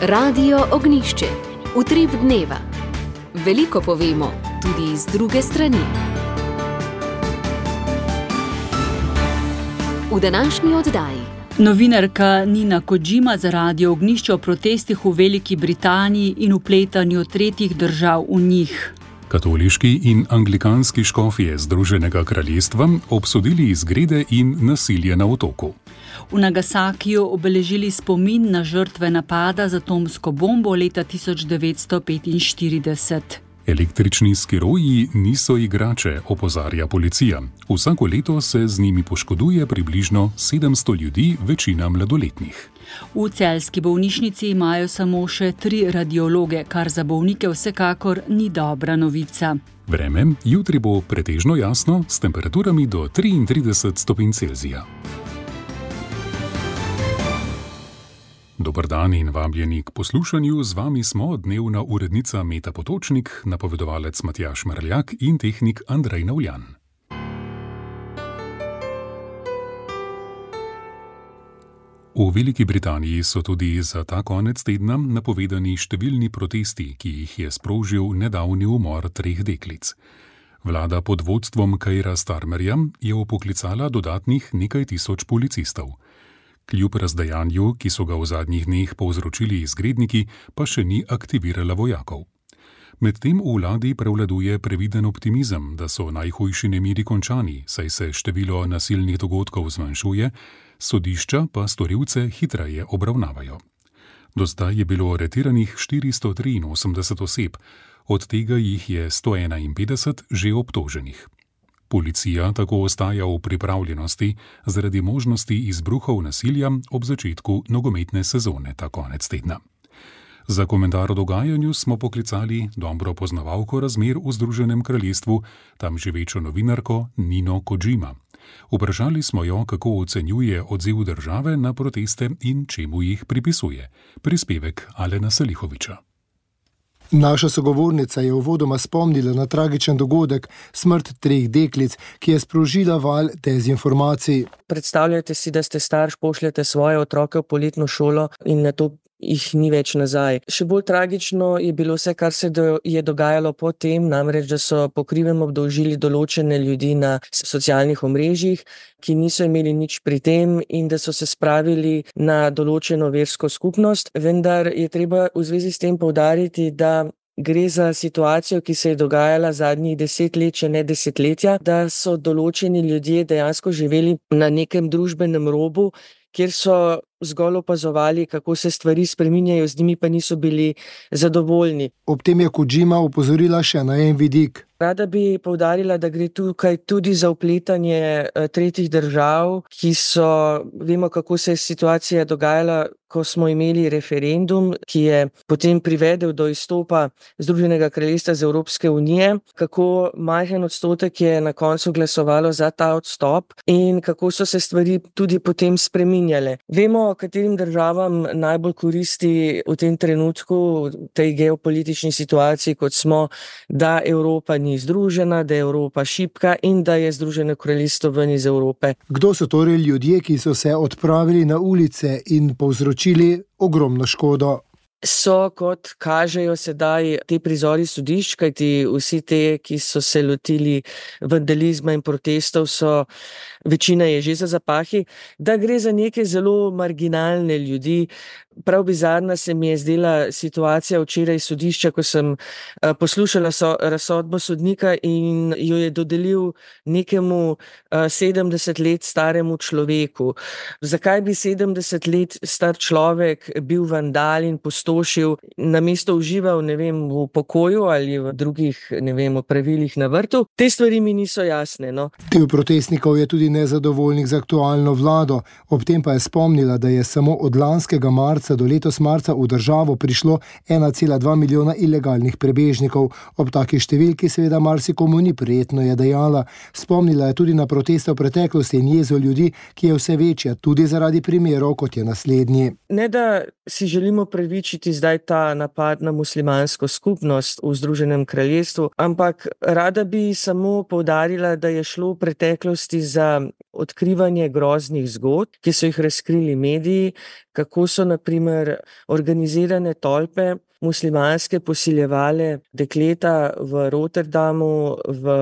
Radio Ognjišče. Utrip dneva. Veliko povemo, tudi iz druge strani. V današnji oddaji. Novinarka Nina Kodžima za Radio Ognjišče o protestih v Veliki Britaniji in vpletanju tretjih držav v njih. Katoliški in anglikanski škofje Združenega kraljestva obsodili izgrede in nasilje na otoku. V Nagasakiju obeležili spomin na žrtve napada z atomsko bombo leta 1945. Električni skiroji niso igrače, opozarja policija. Vsako leto se z njimi poškoduje približno 700 ljudi, večina mladoletnih. V celjski bolnišnici imajo samo še 3 radiologe, kar za bolnike vsekakor ni dobra novica. Vreme jutri bo pretežno jasno s temperaturami do 33 stopinj Celzija. Dober dan in vabljeni k poslušanju. Z vami smo dnevna urednica Meta Potočnik, napovedovalec Matjaž Merljak in tehnik Andrej Navljan. V Veliki Britaniji so tudi za ta konec tedna napovedani številni protesti, ki jih je sprožil nedavni umor 3 deklic. Vlada pod vodstvom Keira Starmerja je vpoklicala dodatnih nekaj tisoč policistov. Kljub razdajanju, ki so ga v zadnjih dneh povzročili izgredniki, pa še ni aktivirala vojakov. Medtem v vladi prevladuje previden optimizem, da so najhujši nemiri končani, saj se število nasilnih dogodkov zmanjšuje, sodišča pa storilce hitreje obravnavajo. Do zdaj je bilo aretiranih 483 oseb, od tega jih je 151 že obtoženih. Policija tako ostaja v pripravljenosti zaradi možnosti izbruhov nasilja ob začetku nogometne sezone ta konec tedna. Za komentar o dogajanju smo poklicali dobro poznavalko razmer v Združenem kraljestvu, tam živečo novinarko Nino Kodžima. Vprašali smo jo, kako ocenjuje odziv države na proteste in čemu jih pripisuje. Prispevek Alena Salihoviča. Naša sogovornica je uvodoma spomnila na tragičen dogodek, smrt 3 deklic, ki je sprožila val dezinformacij. Predstavljajte si, da ste starš, pošljete svoje otroke v poletno šolo in na to jih ni več nazaj. Še bolj tragično je bilo vse, kar se je dogajalo potem, namreč, da so po krivem obdolžili določene ljudi na socialnih omrežjih, ki niso imeli nič pri tem in da so se spravili na določeno versko skupnost. Vendar je treba v zvezi s tem poudariti, da gre za situacijo, ki se je dogajala zadnjih 10 let, če ne desetletja, da so določeni ljudje dejansko živeli na nekem družbenem robu, kjer so zgolj opazovali, kako se stvari spreminjajo, z njimi pa niso bili zadovoljni. Ob tem je Kodžima opozorila še na en vidik. Rada bi poudarila, da gre tukaj tudi za vpletanje tretjih držav, ki so, vemo, kako se je situacija dogajala, ko smo imeli referendum, ki je potem privedel do izstopa Združenega kraljestva z Evropske unije, kako majhen odstotek je na koncu glasovalo za ta odstop in kako so se stvari tudi potem spreminjale. Vemo, katerim državam najbolj koristi v tem trenutku, v tej geopolitični situaciji, kot smo, da Evropa ni združena, da je Evropa šibka in da je Združeno kraljestvo ven iz Evrope. Kdo so torej ljudje, ki so se odpravili na ulice in povzročili ogromno škodo? So, kot kažejo sedaj te prizori sodišč, kajti vsi te, ki so se lotili vandalizma in protestov, večina je že za zapahi, da gre za neke zelo marginalne ljudi. Prav bizarna se mi je zdela situacija včeraj sodišča, ko sem poslušala razsodbo sodnika in jo je dodelil nekemu 70 let staremu človeku. Zakaj bi 70 let star človek bil vandal in pustošil, namesto užival, v pokoju ali v drugih, opravilih na vrtu? Te stvari mi niso jasne, no. Del protestnikov je tudi nezadovoljnih z aktualno vlado, ob tem pa je spomnila, da je samo od lanskega marca do letos marca v državo prišlo 1,2 milijona ilegalnih prebežnikov. Ob taki številki seveda marsikomu ni prijetno, je dejala. Spomnila je tudi na proteste v preteklosti in jezo ljudi, ki je vse večja, tudi zaradi primerov, kot je naslednji. Ne da si želimo pravičiti zdaj ta napad na muslimansko skupnost v Združenem kraljestvu, ampak rada bi samo poudarila, da je šlo v preteklosti za odkrivanje groznih zgodb, ki so jih razkrili mediji, kako so na primer organizirane tolpe muslimanske posiljevale dekleta v Rotterdamu, v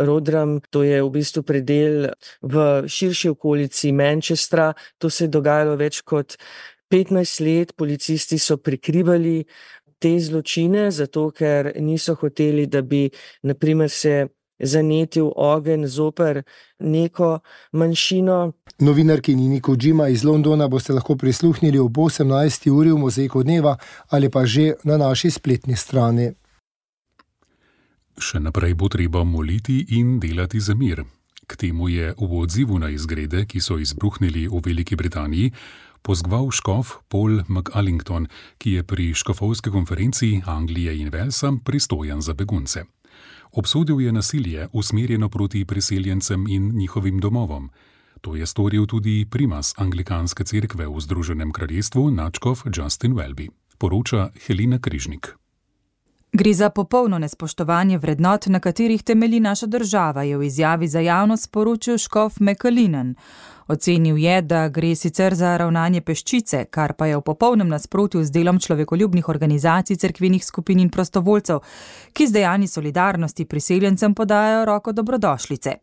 Rodram, to je v bistvu predel v širši okolici Manchestra. To se je dogajalo več kot 15 let, policisti so prikrivali te zločine, zato ker niso hoteli, da bi na primer se zanetil ogenj zoper neko manjšino. Novinarki Nini Kojima iz Londona boste lahko prisluhnili ob 18. uri v Mozaiku dneva ali pa že na naši spletni strani. Še naprej bo treba moliti in delati za mir. K temu je v odzivu na izgrede, ki so izbruhnili v Veliki Britaniji, pozval škof Paul McAllington, ki je pri škofovski konferenci Anglije in Walesa pristojen za begunce. Obsodil je nasilje usmerjeno proti priseljencem in njihovim domovom. To je storil tudi primas anglikanske cerkve v Združenem kraljestvu, nadškof Justin Welby. Poroča Helena Križnik. Gre za popolno nespoštovanje vrednot, na katerih temelji naša država, je v izjavi za javnost sporočil škof McAllinan. Ocenil je, da gre sicer za ravnanje peščice, kar pa je v popolnem nasprotju z delom človekoljubnih organizacij, cerkvenih skupin in prostovoljcev, ki z dejanji solidarnosti priseljencem podajajo roko dobrodošlice.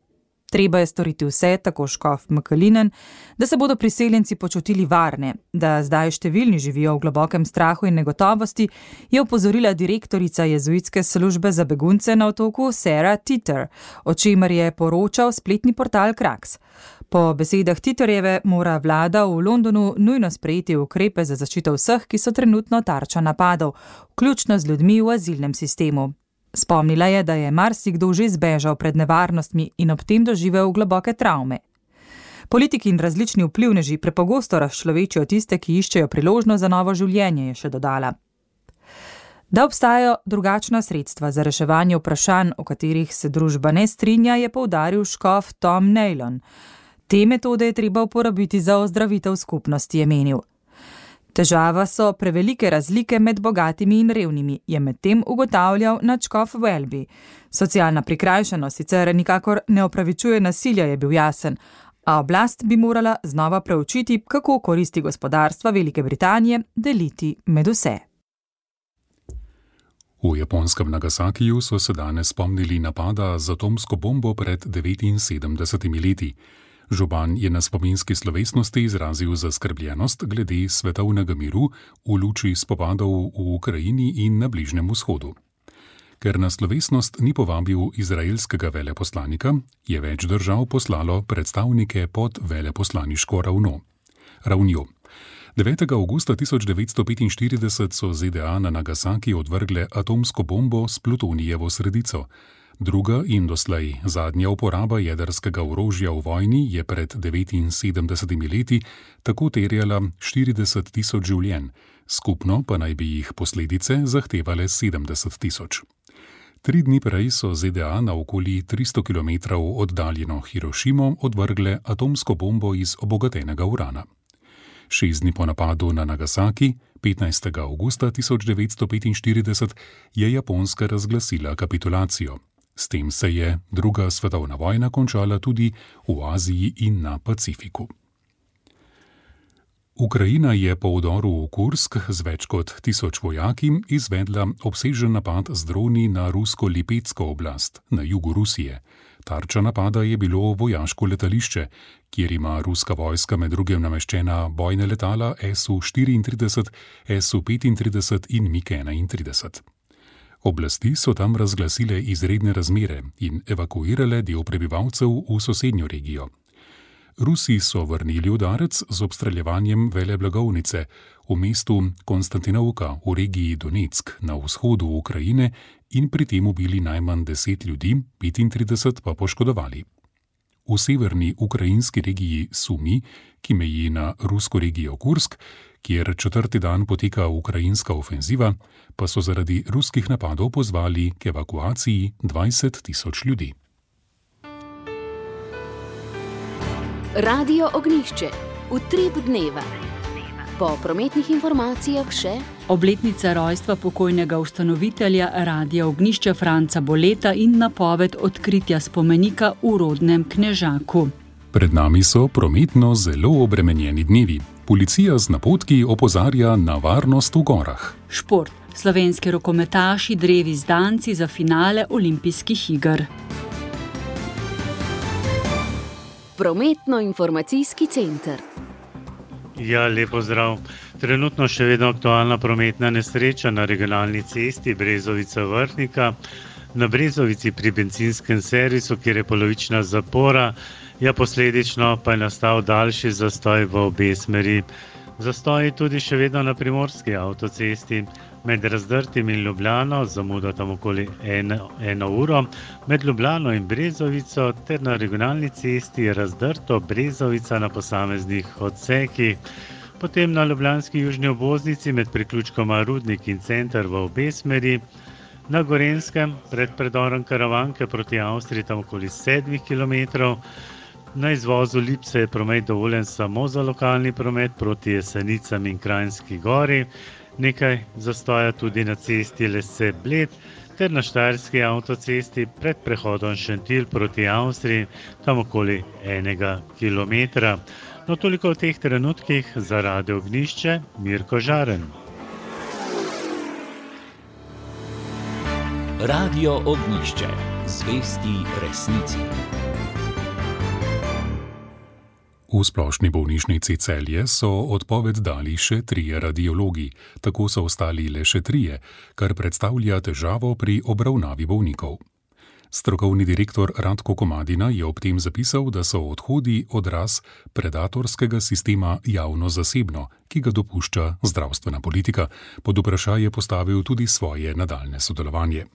Treba je storiti vse, tako škof McAllinan, da se bodo priseljenci počutili varne, da zdaj številni živijo v globokem strahu in negotovosti, je opozorila direktorica jezuitske službe za begunce na otoku Sarah Titter, o čemer je poročal spletni portal Krax. Po besedah Titterjeve mora vlada v Londonu nujno sprejeti ukrepe za zaščito vseh, ki so trenutno tarča napadov, vključno z ljudmi v azilnem sistemu. Spomnila je, da je marsikdo že zbežal pred nevarnostmi in ob tem doživel globoke travme. Politiki in različni vplivneži prepogosto razčlovečijo tiste, ki iščejo priložnost za novo življenje, je še dodala. Da obstajajo drugačna sredstva za reševanje vprašanj, o katerih se družba ne strinja, je poudaril škof Tom Neylon. Te metode je treba uporabiti za ozdravitev skupnosti, je menil. Težava so prevelike razlike med bogatimi in revnimi, je medtem ugotavljal nadškof Welby. Socialna prikrajšanost sicer nikakor ne opravičuje nasilja, je bil jasen, a oblast bi morala znova preučiti, kako koristi gospodarstva Velike Britanije deliti med vse. V japonskem Nagasakiju so se danes spomnili napada z atomsko bombo pred 79 leti. Župan je na spominski slovesnosti izrazil zaskrbljenost glede svetovnega miru v luči spopadov v Ukrajini in na Bližnjem vzhodu. Ker na slovesnost ni povabil izraelskega veleposlanika, je več držav poslalo predstavnike pod veleposlaniško ravnjo. 9. avgusta 1945 so ZDA na Nagasaki odvrgle atomsko bombo s plutonijevo sredico. Druga in doslej zadnja uporaba jedrskega orožja v vojni je pred 79 leti tako terjala 40 tisoč življenj, skupno pa naj bi jih posledice zahtevale 70 tisoč. 3 dni prej so ZDA na okoli 300 km oddaljeno Hirošimo odvrgle atomsko bombo iz obogatenega urana. 6 dni po napadu na Nagasaki, 15. avgusta 1945, je Japonska razglasila kapitulacijo. S tem se je druga svetovna vojna končala tudi v Aziji in na Pacifiku. Ukrajina je po vdoru v Kursk z več kot 1000 vojaki izvedla obsežen napad z droni na rusko Lipetsko oblast na jugu Rusije. Tarča napada je bilo vojaško letališče, kjer ima ruska vojska med drugim nameščena bojne letala Su-34, Su-35 in MiG-31. Oblasti so tam razglasile izredne razmere in evakuirale del prebivalcev v sosednjo regijo. Rusi so vrnili udarec z obstreljevanjem veleblagovnice v mestu Konstantinovka v regiji Donetsk na vzhodu Ukrajine in pri tem ubili najmanj 10 ljudi, 35 pa poškodovali. V severni ukrajinski regiji Sumi, ki meji na rusko regijo Kursk, kjer 4. dan poteka ukrajinska ofenziva, pa so zaradi ruskih napadov pozvali k evakuaciji 20 tisoč ljudi. Radio Ognjišče, utrip dneva. Po prometnih informacijah še obletnica rojstva pokojnega ustanovitelja Radia Ognjišče Franca Boleta in napoved odkritja spomenika v rodnem Knežaku. Pred nami so prometno zelo obremenjeni dnevi. Policija z napotki opozarja na varnost v gorah. Šport. Slovenski rokometaši drevi zdanci za finale olimpijskih iger. Prometno-informacijski center. Ja, lepo zdrav. Trenutno še vedno aktualna prometna nesreča na regionalni cesti Brezovica-Vrhnika. Na Brezovici pri bencinskem servisu, kjer je polovična zapora, posledično pa je nastal daljši zastoj v obe smeri. Zastoj je tudi še vedno na primorski avtocesti. Med Razdrtim in Ljubljano, zamuda tam okoli 1 uro, med Ljubljano in Brezovico ter na regionalni cesti Razdrto Brezovica na posameznih odsekih. Potem na ljubljanski južni obvoznici med priključkoma Rudnik in Center v obe smeri. Na Gorenjskem pred predorom Karavanke proti Avstriji tam okoli 7 km. Na izvozu Lipse je promet dovoljen samo za lokalni promet proti Jesenicam in Kranjski Gori. Nekaj zastoja tudi na cesti Lese-Bled ter na štajerski avtocesti pred prehodom Šentilj proti Avstriji, tam okoli 1 km. No, toliko v teh trenutkih za Radio Ognjišče, Mirko Žaren. Radio Ognjišče, zvesti resnici. V splošni bolnišnici Celje so odpoved dali še 3 radiologi, tako so ostali le še 3, kar predstavlja težavo pri obravnavi bolnikov. Strokovni direktor Radko Komadina je ob tem zapisal, da so odhodi odraz predatorskega sistema javno-zasebno, ki ga dopušča zdravstvena politika. Pod vprašanje postavil tudi svoje nadaljne sodelovanje.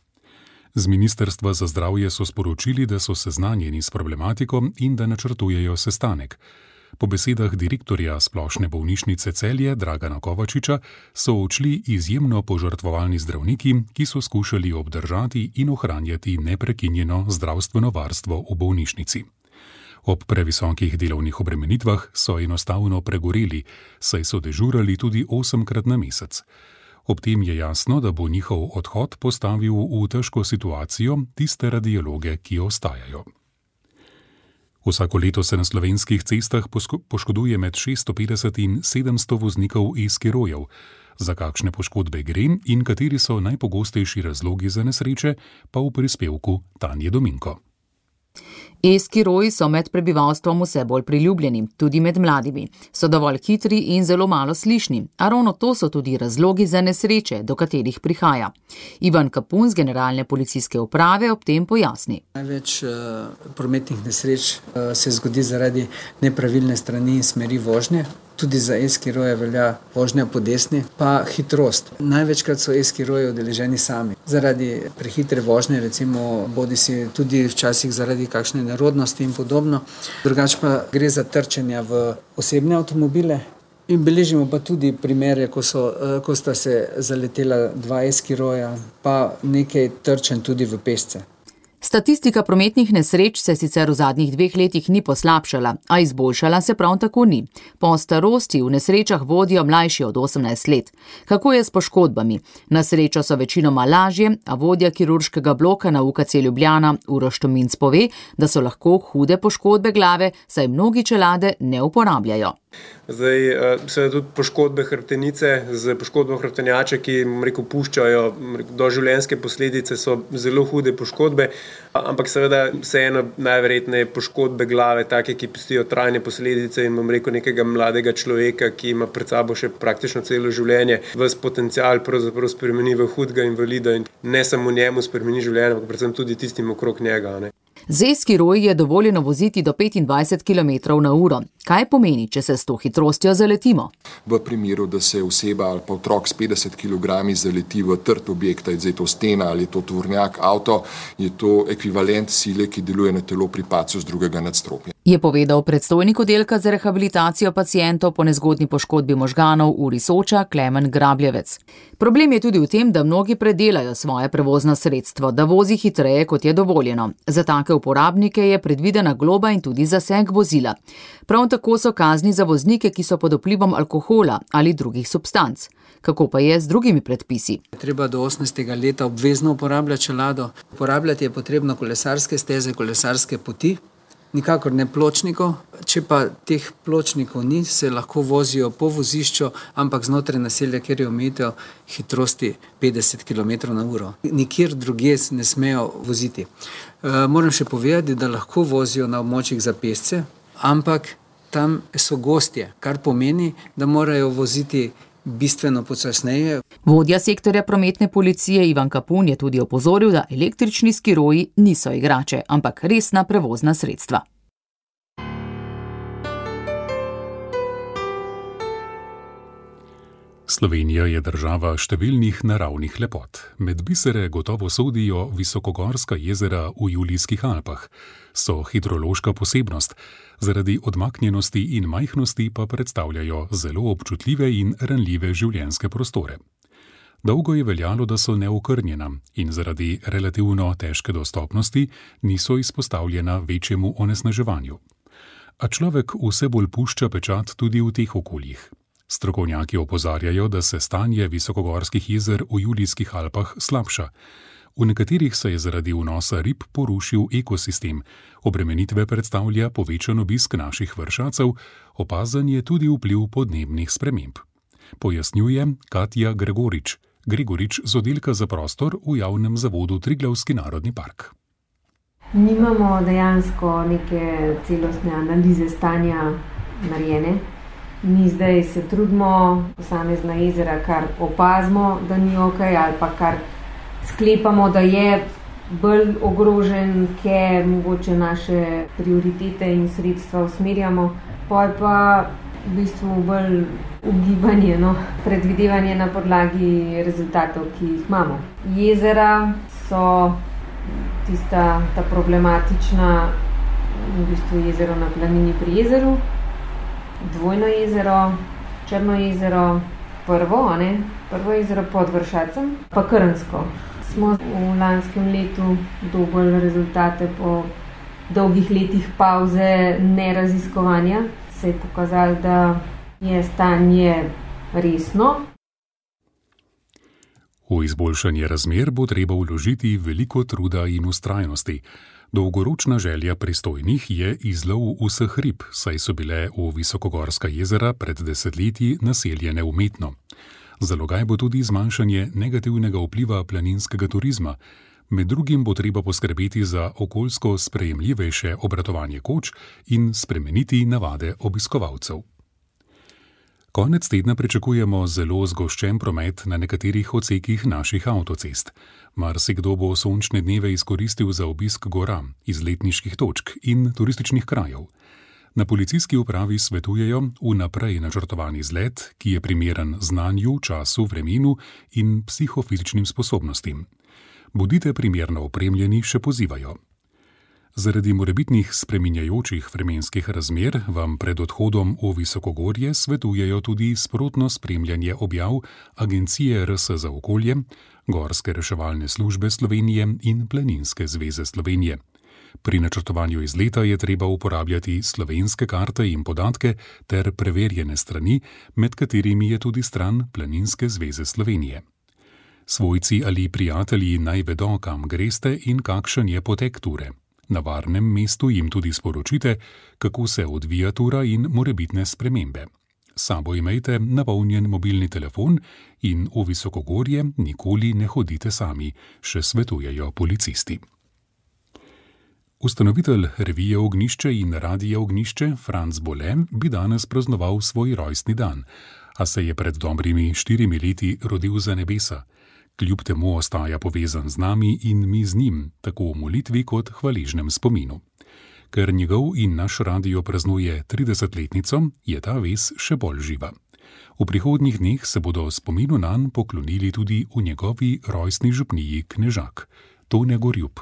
Z Ministrstva za zdravje so sporočili, da so seznanjeni s problematiko in da načrtujejo sestanek. Po besedah direktorja splošne bolnišnice Celje Dragana Kovačiča so odšli izjemno požrtvovalni zdravniki, ki so skušali obdržati in ohranjati neprekinjeno zdravstveno varstvo v bolnišnici. Ob previsokih delovnih obremenitvah so enostavno pregoreli, saj so dežurali tudi 8-krat na mesec. Ob tem je jasno, da bo njihov odhod postavil v težko situacijo tiste radiologe, ki ostajajo. Vsako leto se na slovenskih cestah poškoduje med 650 in 700 voznikov e-skirojev. Za kakšne poškodbe gre in kateri so najpogostejši razlogi za nesreče, pa v prispevku Tanje Dominko. E-skiroji so med prebivalstvom vse bolj priljubljeni, tudi med mladimi. So dovolj hitri in zelo malo slišni, a ravno to so tudi razlogi za nesreče, do katerih prihaja. Ivan Kapun z Generalne policijske uprave ob tem pojasni. Največ prometnih nesreč se zgodi zaradi nepravilne strani in smeri vožnje. Tudi za e-skiroje velja vožnja po desni, pa hitrost. Največkrat so e-skiroji udeleženi sami. Zaradi prehitre vožnje, recimo bodisi tudi včasih zaradi kakšne nerodnosti in podobno. Drugače pa gre za trčenja v osebne avtomobile. In beležimo pa tudi primere, ko sta se zaletela 2 e-skiroja, pa nekaj trčenj tudi v pešce. Statistika prometnih nesreč se sicer v zadnjih 2 letih ni poslabšala, a izboljšala se prav tako ni. Po starosti v nesrečah vodijo mlajši od 18 let. Kako je s poškodbami? Na srečo so večinoma lažje, a vodja kirurškega bloka na UKC Ljubljana Uroš Tominc pove, da so lahko hude poškodbe glave, saj mnogi čelade ne uporabljajo. Zdaj, seveda tudi poškodbe hrbtenice z poškodbo hrbtenjače, ki puščajo doživljenjske posledice, so zelo hude poškodbe, ampak seveda vseeno najverjetneje poškodbe glave, take, ki pustijo trajne posledice in nekega mladega človeka, ki ima pred sabo še praktično celo življenje, ves potencial pravzaprav spremeni v hudega invalida in ne samo njemu spremeni življenje, ampak predvsem tudi tistim okrog njega. Z e-skiroji je dovoljeno voziti do 25 km/h. Kaj pomeni, če se s to hitrostjo zaletimo? V primeru, da se oseba ali pa otrok s 50 kg zaleti v trd objekt, je to stena ali je to tovornjak, avto, je to ekvivalent sile, ki deluje na telo pri padcu z drugega nadstropja. Je povedal predstojnik oddelka za rehabilitacijo pacientov po nezgodni poškodbi možganov URI Soča Klemen Grabljevec. Problem je tudi v tem, da mnogi predelajo svoje prevozno sredstvo, da vozi hitreje, kot je dovoljeno. Za take uporabnike je predvidena globa in tudi zaseg vozila. Prav tako so kazni za voznike, ki so pod vplivom alkohola ali drugih substanc. Kako pa je z drugimi predpisi? Treba do 18. leta obvezno uporabljati čelado. Uporabljati je potrebno kolesarske steze, kolesarske poti. Nikakor ne pločnikov, če pa teh pločnikov ni, se lahko vozijo po vozišču, ampak znotraj naselja, kjer je omejitev hitrosti 50 km/h. Nikjer drugje ne smejo voziti. Moram še povedati, da lahko vozijo na območjih za pešce, ampak tam so gostje, kar pomeni, da morajo voziti bistveno počasneje. Vodja sektorja prometne policije Ivan Kapun je tudi opozoril, da električni skiroji niso igrače, ampak resna prevozna sredstva. Slovenija je država številnih naravnih lepot. Med bisere gotovo sodijo visokogorska jezera v Julijskih Alpah. So hidrološka posebnost, zaradi odmaknjenosti in majhnosti pa predstavljajo zelo občutljive in ranljive življenjske prostore. Dolgo je veljalo, da so neokrnjena in zaradi relativno težke dostopnosti niso izpostavljena večjemu onesnaževanju. A človek vse bolj pušča pečat tudi v teh okoljih. Strokovnjaki opozarjajo, da se stanje visokogorskih jezer v Julijskih Alpah slabša. V nekaterih se je zaradi vnosa rib porušil ekosistem, obremenitve predstavlja povečan obisk naših vršacev, opazen je tudi vpliv podnebnih sprememb. Pojasnjuje Katja Gregorič z oddelka za prostor v javnem zavodu Triglavski narodni park. Nimamo dejansko neke celostne analize stanja narejene. Mi zdaj se trudimo posamezna jezera, kar opazimo, da ni okej, ali pa kar sklepamo, da je bolj ogrožen, ker mogoče naše prioritete in sredstva usmerjamo. Poj pa v bistvu bolj ugibanje, predvidevanje na podlagi rezultatov, ki jih imamo. Jezera so ta problematična, v bistvu jezero na Planini pri jezeru, Dvojno jezero, Črno jezero, prvo jezero pod Vršacem, pa Krnsko. Smo v lanskem letu dobili rezultate po dolgih letih pauze neraziskovanja. Se je pokazalo, da je stanje resno. V izboljšanje razmer bo treba vložiti veliko truda in vztrajnosti. Dolgoročna želja pristojnih je izlov vseh rib, saj so bile v visokogorska jezera pred desetletji naseljene umetno. Zalogaj bo tudi zmanjšanje negativnega vpliva planinskega turizma. Med drugim bo treba poskrbeti za okoljsko sprejemljivejše obratovanje koč in spremeniti navade obiskovalcev. Konec tedna pričakujemo zelo zgoščen promet na nekaterih odsekih naših avtocest. Marsikdo bo sončne dneve izkoristil za obisk gora, izletniških točk in turističnih krajev. Na policijski upravi svetujejo vnaprej načrtovani izlet, ki je primeren znanju, času, vremenu in psihofizičnim sposobnostim. Bodite primerno opremljeni, še pozivajo. Zaradi morebitnih spreminjajočih vremenskih razmer vam pred odhodom v visokogorje svetujejo tudi sprotno spremljanje objav Agencije RS za okolje, Gorske reševalne službe Slovenije in Planinske zveze Slovenije. Pri načrtovanju izleta je treba uporabljati slovenske karte in podatke ter preverjene strani, med katerimi je tudi stran Planinske zveze Slovenije. Svojci ali prijatelji naj vedo, kam greste in kakšen je potek ture. Na varnem mestu jim tudi sporočite, kako se odvija tura in morebitne spremembe. S sabo imejte napolnjen mobilni telefon in v visokogorje nikoli ne hodite sami, še svetujejo policisti. Ustanovitelj revije Ognjišče in radija Ognjišče Franc Bole bi danes praznoval svoj rojstni dan, a se je pred dobrimi 4 leti rodil za nebesa. Kljub temu ostaja povezan z nami in mi z njim, tako v molitvi kot hvaležnem spominu. Ker njegov in naš radio praznuje 30-letnico, je ta vez še bolj živa. V prihodnjih dneh se bodo spominu nanj poklonili tudi v njegovi rojstni župniji Knežak, Tone Gorjup.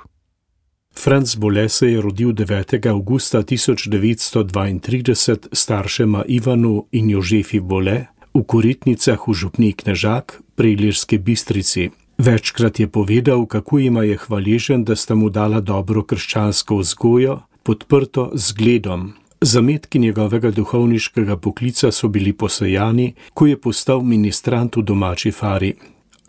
Franc Bole se je rodil 9. avgusta 1932 staršema Ivanu in Jožefi Bole v Koritnicah v župniji Knežak pri Ilirski Bistrici. Večkrat je povedal, kako jima je hvaležen, da sta mu dala dobro krščansko vzgojo, podprto z zgledom. Zametki njegovega duhovniškega poklica so bili posejani, ko je postal ministrant v domači fari.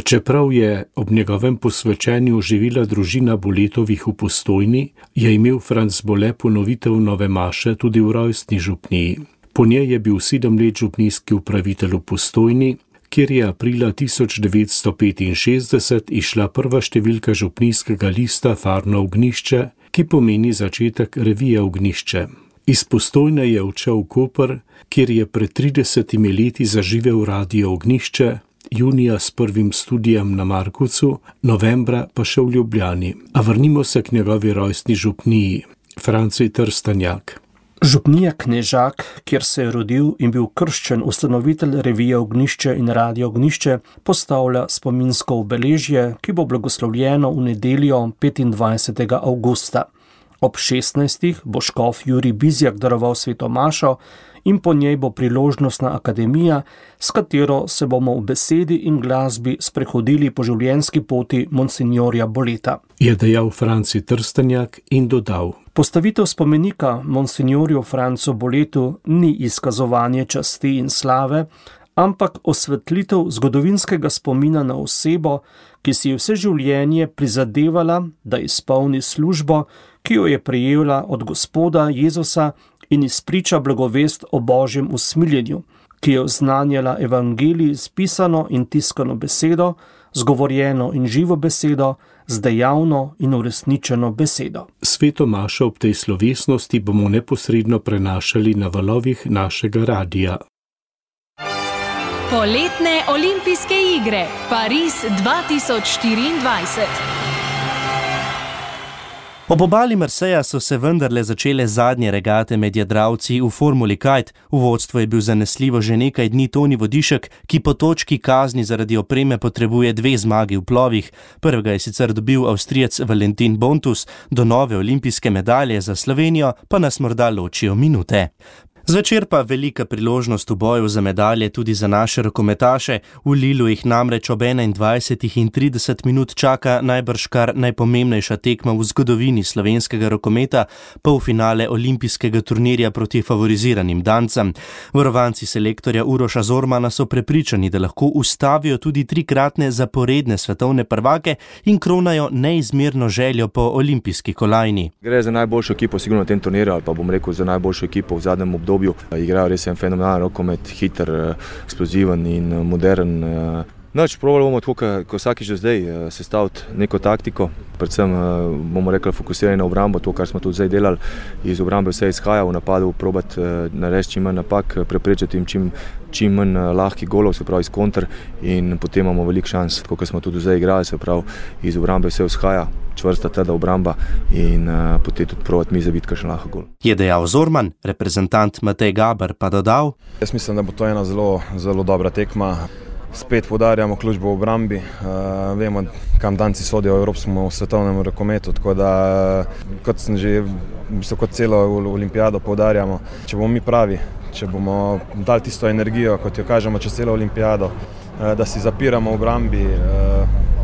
Čeprav je ob njegovem posvečenju živela družina Boletovih v Postojni, je imel Franc Bole ponovitev nove maše tudi v rojstni župniji. Po njej je bil 7 let župnijski upravitelj v Postojni, kjer je aprila 1965 išla prva številka župnijskega lista Farno Ognjišče, ki pomeni začetek revije Ognjišče. Iz Postojne je odšel v Koper, kjer je pred 30 leti zaživel Radio Ognjišče, junija s prvim studijem na Markovcu, novembra pa še v Ljubljani. A vrnimo se k njegovi rojstni župniji, Franci Trstenjak. Župnija Knežak, kjer se je rodil in bil krščen ustanovitelj revije Ognjišče in Radio Ognjišče, postavlja spominsko obeležje, ki bo blagoslovljeno v nedeljo 25. avgusta. Ob 16. bo škof Jurij Bizjak daroval sveto mašo in po njej bo priložnostna akademija, s katero se bomo v besedi in glasbi sprehodili po življenjski poti monsignorja Boleta. Je dejal Franci Trstenjak in dodal: Postavitev spomenika monsignorju Francu Boletu ni izkazovanje časti in slave, ampak osvetlitev zgodovinskega spomina na osebo, ki si je vse življenje prizadevala, da izpolni službo, ki jo je prejela od Gospoda Jezusa in izpriča blagovest o Božjem usmiljenju, ki je oznanjala evangelij z pisano in tiskano besedo, zgovorjeno in živo besedo, z dejavno in uresničeno besedo. Sveto mašo ob tej slovesnosti bomo neposredno prenašali na valovih našega radija. Poletne olimpijske igre Pariz 2024. Ob obali Marseja so se vendarle začele zadnje regate med jadralci v Formuli Kite. V vodstvu je bil zanesljivo že nekaj dni Toni Vodišek, ki po točki kazni zaradi opreme potrebuje 2 zmagi v plovih. Prvega je sicer dobil Avstrijec Valentin Bontus, do nove olimpijske medalje za Slovenijo pa nas morda ločijo minute. Zvečer pa velika priložnost v boju za medalje tudi za naše rokometaše. V Lilu jih namreč ob 21:30 minut čaka najbrž kar najpomembnejša tekma v zgodovini slovenskega rokometa, polfinale olimpijskega turnirja proti favoriziranim Dancem. Varovanci selektorja Uroša Zormana so prepričani, da lahko ustavijo tudi 3-kratne zaporedne svetovne prvake in kronajo neizmerno željo po olimpijski kolajni. Gre za najboljšo ekipo sigurno na tem turnirju, ali pa bom rekel za najboljšo ekipo v zadnjem obdobju. Igrajo res en fenomenalen rokomet, hiter, eksploziven in modern. Probali bomo tako, kot vsakič do zdaj, sestaviti neko taktiko, predvsem bomo rekli fokusirani na obrambo, to, kar smo tudi zdaj delali, iz obrambe vse izhaja, v napadu probati narediti čim manj napak, preprečiti jim čim manj lahkih golov, se pravi iz konter, in potem imamo veliko šans, tako kot smo tudi zdaj igrali, se pravi iz obrambe vse izhaja, čvrsta teda obramba in potem tudi probati mi zabiti kakšen lahko gol. Je dejal Zorman, reprezentant Matej Gaber pa dodal: Jaz mislim, da bo to ena zelo, zelo dobra tekma. Spet poudarjamo službo v obrambi, vemo, kam Danci sodijo v evropskem svetovnem rokometu, tako da kot sem že kot celo olimpijado poudarjamo, če bomo mi pravi, če bomo dali tisto energijo, kot jo kažemo čez celo olimpijado, da si zapiramo v obrambi,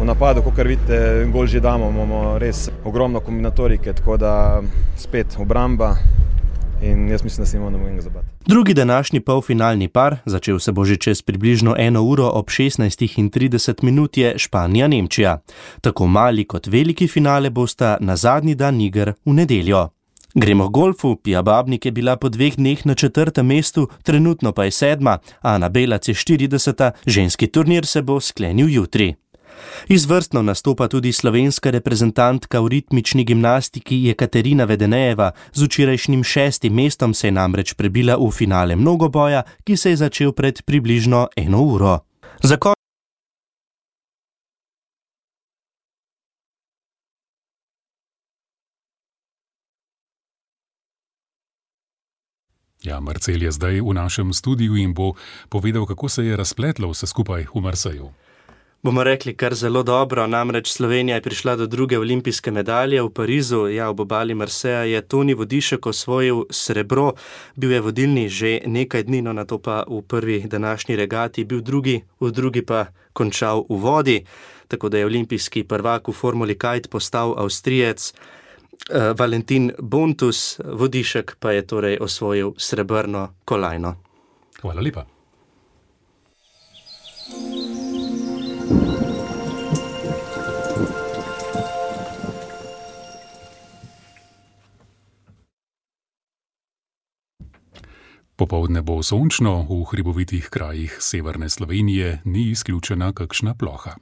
v napadu, kakor vidite, gol že damo, imamo res ogromno kombinatorike, tako da spet obramba. In jaz mislim, da se imamo nobenega zabati. Drugi današnji polfinalni par, začel se bo že čez približno 1 uro ob 16:30 minut, je Španija-Nemčija. Tako mali kot veliki finale bosta na zadnji dan iger v nedeljo. Gremo k golfu. Pia Babnik je bila po 2 dneh na 4. mestu, trenutno pa je 7., Ana Belac je 40., ženski turnir se bo sklenil jutri. Izvrstno nastopa tudi slovenska reprezentantka v ritmični gimnastiki Jekaterina Vedenejeva. Z včerajšnjim 6. mestom se je namreč prebila v finale mnogoboja, ki se je začel pred približno 1 uro. Marcel je zdaj v našem studiu in bo povedal, kako se je razpletlo vse skupaj v Marseju. Bomo rekli kar zelo dobro, namreč Slovenija je prišla do 2. olimpijske medalje v Parizu. Ob obali Marseja je Toni Vodišek osvojil srebro, bil je vodilni že nekaj dni, na to pa v prvi današnji regati bil drugi, v drugi pa končal v vodi, tako da je olimpijski prvak v Formuli Kite postal Avstrijec Valentin Bontus, Vodišek pa je torej osvojil srebrno kolajno. Hvala lepa. Popoldne bo sončno, v hribovitih krajih severne Slovenije ni izključena kakšna ploha.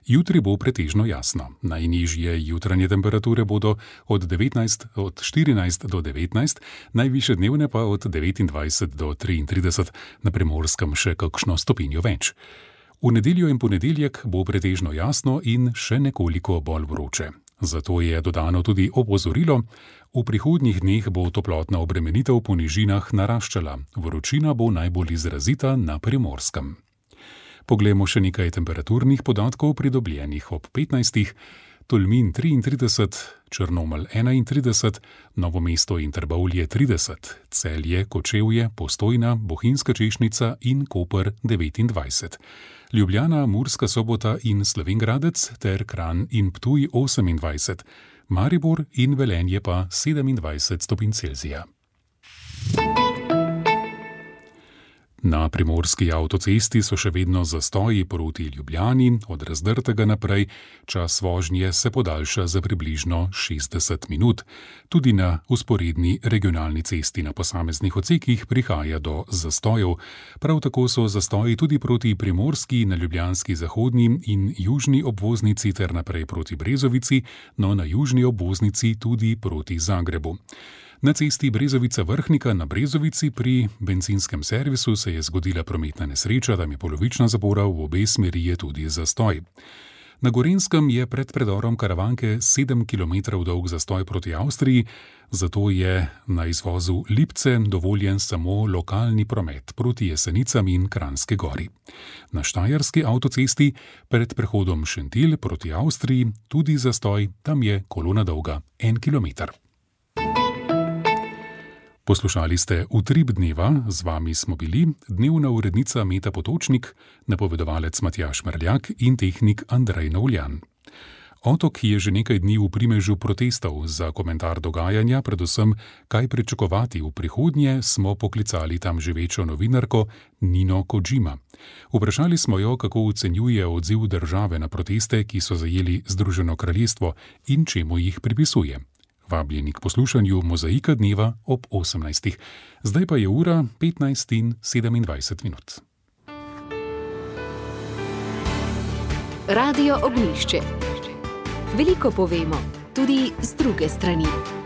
Jutri bo pretežno jasno. Najnižje jutranje temperature bodo od 14 do 19, najvišje dnevne pa od 29 do 33, na Primorskem še kakšno stopinjo več. V nedeljo in ponedeljek bo pretežno jasno in še nekoliko bolj vroče. Zato je dodano tudi opozorilo, v prihodnjih dneh bo toplotna obremenitev po nižinah naraščala, vročina bo najbolj izrazita na Primorskem. Poglejmo še nekaj temperaturnih podatkov pridobljenih ob 15. Tolmin 33, Črnomelj 31, Novo mesto in Trbovlje 30, Celje, Kočevje, Postojna, Bohinjska Češnica in Koper 29. Ljubljana, Murska Sobota in Slovenj Gradec ter Kranj in Ptuj 28, Maribor in Velenje pa 27 stopinj Celzija. Na primorski avtocesti so še vedno zastoji proti Ljubljani, od Razdrtega naprej čas vožnje se podaljša za približno 60 minut. Tudi na vzporedni regionalni cesti na posameznih odsekih prihaja do zastojev. Prav tako so zastoji tudi proti primorski, na ljubljanski zahodni in južni obvoznici ter naprej proti Brezovici, no na južni obvoznici tudi proti Zagrebu. Na cesti Brezovica-Vrhnika na Brezovici pri bencinskem servisu se je zgodila prometna nesreča, tam je polovična zapora, v obe smeri je tudi zastoj. Na Gorenjskem je pred predorom Karavanke 7 km dolg zastoj proti Avstriji, zato je na izvozu Lipce dovoljen samo lokalni promet proti Jesenicam in Kranjski Gori. Na štajerski avtocesti pred prehodom Šentilj proti Avstriji tudi zastoj, tam je kolona dolga 1 km. Poslušali ste Utrip dneva, z vami smo bili dnevna urednica Meta Potočnik, napovedovalec Matjaž Merljak in tehnik Andrej Novljan. Otok je že nekaj dni v primežu protestov. Za komentar dogajanja, predvsem kaj pričakovati v prihodnje, smo poklicali tam živečo novinarko Nino Kojima. Vprašali smo jo, kako ocenjuje odziv države na proteste, ki so zajeli Združeno kraljestvo in čemu jih pripisuje. Vabljeni k poslušanju Mozaika dneva ob 18. Zdaj pa je ura 15:27 minut. Radio Ognjišče. Veliko povemo, tudi z druge strani.